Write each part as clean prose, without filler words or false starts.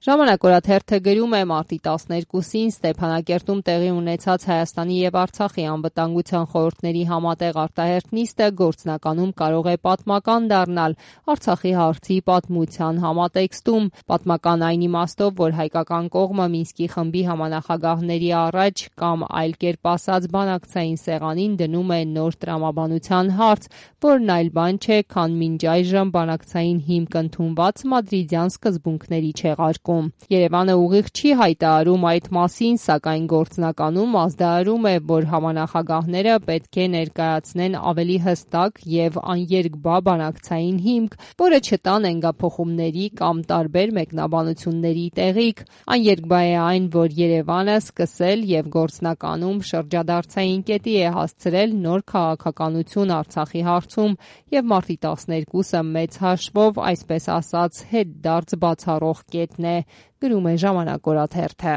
Ժամանակ օրաթերթը գրում է մարտի 12-ին Ստեփանակերտում տեղի ունեցած Հայաստանի եւ Արցախի անվտանգության խորհուրդների համատեղ արտահերթ նիստը գործնականում կարող է պատմական դառնալ Արցախի հարցի պատմության համատեքստում։ Պատմական այն իմաստով, որ հայկական կողմը Մինսկի խմբի համանախագահների առաջ կամ այլ կերպ ասած բանակցային սեղանին դնում է նոր տրամաբանության հարց, որն այլ բան չէ, քան մինչ այժմ բանակցային հիմք ընդունված մադրիդյան սկզբունքների չեղարկում։ Երևանը ուղիղ չի հայտարարում այդ մասին, սակայն գործնականում ազդարարում է, որ համանախագահները պետք է ներկայացնեն ավելի հստակ եւ աներկբա բանակցային հիմք, որը չտա նենգափոխումների կամ տարբեր մեկնաբանությունների տեղիք։ Աներկբա է այն, որ Երևանը սկսել եւ գործնականում շրջադարձային կետի է հասցրել նոր քաղաքականություն Արցախի հարցում եւ մարտի 12-ը մեծ հաշվով, այսպես ասած, հետդարձ բացառող կետն է, գրում է Ժամանակ օրաթերթը։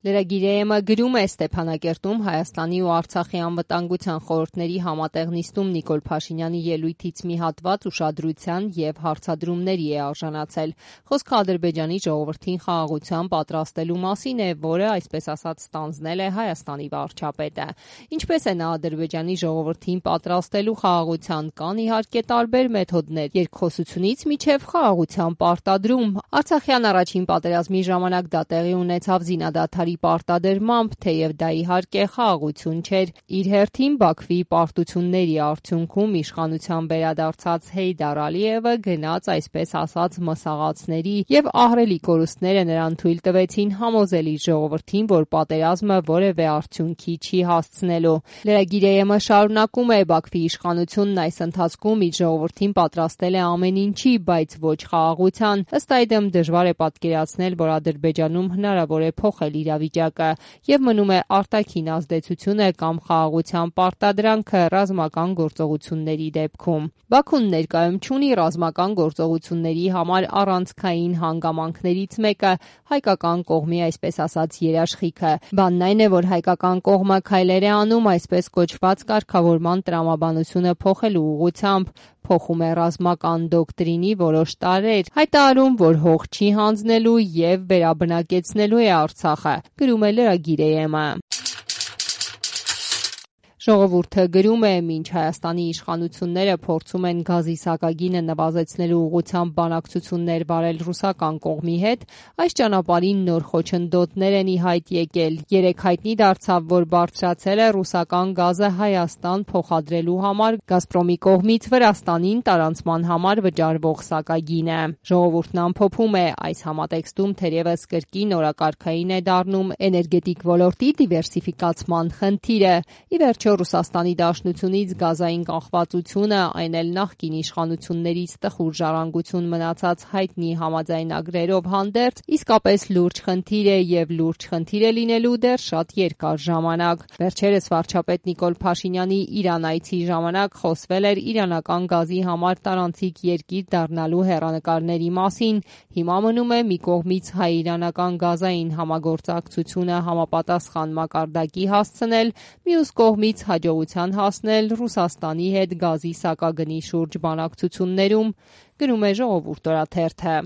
Լրագիր գրում է Ստեփանակերտում Հայաստանի ու Արցախի անվտանգության խորհուրդների համատեղ նիստում Նիկոլ Փաշինյանի ելույթից մի հատված ուշադրության եւ հարցադրումների է արժանացել։ Խոսքը Ադրբեջանի ժողովրդին խաղաղության պատրաստելու մասին է, որը, այսպես ասած, ստանձնել է Հայաստանի վարչապետը։ Ինչպես է նա Ադրբեջանի ժողովրդին պատրաստելու խաղաղության, կան իհարկե տարբեր մեթոդներ՝ երկխոսությունից մինչև խաղաղության պարտադրում։ Արցախյան առաջին պատերազմի ժամանակ դա տեղի ունեցավ զինադադարի պարտադրմամբ, թեև դա իհարկե խաղաղություն չէր։ Իր հերթին Բաքվի պարտությունների արդյունքում իշխանության վերադարձած Հեյդար Ալիևը գնաց, այսպես ասած, մսաղացների եւ ահռելի կորուստները նրան թույլ տվեցին համոզել իր ժողովրդին, որ պատերազմը որևէ արդյունքի չի հասցնելու։ Լրագիր շարունակում է. Բաքվի իշխանությունն այս ընթացքում իր ժողովրդին պատրաստել է ամեն ինչի, բայց ոչ խաղաղության։ Ըստ այդմ դժվար է պատկերացնել, որ Ադրբեջանում հնարավոր է փոխել իրավիճակը եւ մնում է արտաքին ազդեցությունը կամ խաղաղության պարտադրանքը ռազմական գործողությունների դեպքում։ Բաքուն ներկայում չունի ռազմական գործողությունների համար առանցքային հանգամանքներից մեկը հայկական կողմի, այսպես ասած, երաշխիքը։ Բանն այն է, որ հայկական կողմը քայլեր է անում այսպես կոչված կարգավորման տրամաբանությունը փոխելու ուղղությամբ, փոխում է ռազմական դոկտրինի որոշ տարրեր, հայտարարում, որ հող չի հանձնելու եւ վերաբնակեցնելու է Արցախը, գրում է լրագիր-ը։ Ժողովուրդը գրում է. մինչ Հայաստանի իշխանությունները փորձում են գազի սակագինը նվազեցնելու ուղղությամբ բանակցություններ վարել ռուսական կողմի հետ, այս ճանապարհին նոր խոչընդոտներ են ի հայտ եկել։ Երեկ հայտնի դարձավ, որ բարձրացել է ռուսական գազը Հայաստան փոխադրելու համար Գազպրոմի կողմից Վրաստանին տարանցման համար վճարվող սակագինը։ Ժողովուրդն ամփոփում է. այս համատեքստում թերևս կրկին օրակարգային է դառնում էներգետիկ ոլորտի դիվերսիֆիկացման խնդիրը։ Ի վերջո Ռուսաստանի Դաշնությունից գազային կախվածությունը, այն էլ նախկին իշխանություններից տխուր ժառանգություն մնացած հայտնի համաձայնագրերով հանդերձ, իսկապես լուրջ խնդիր է եւ լուրջ խնդիր է լինելու դեռ շատ երկար ժամանակ։ Վերջերս վարչապետ Նիկոլ Փաշինյանի Իրան այցի ժամանակ խոսվել էր իրանական գազի համար տարանցիկ երկիր դառնալու հեռանկարների մասին։ Հիմա մնում է մի կողմից հայ-իրանական գազային համագործակցությունը համապատասխան մակարդակի հասցնել, մյուս կողմից հաջողության հասնել Ռուսաստանի հետ գազի սակագնի շուրջ բանակցություններում, գրում է Ժողովուրդ օրաթերթը։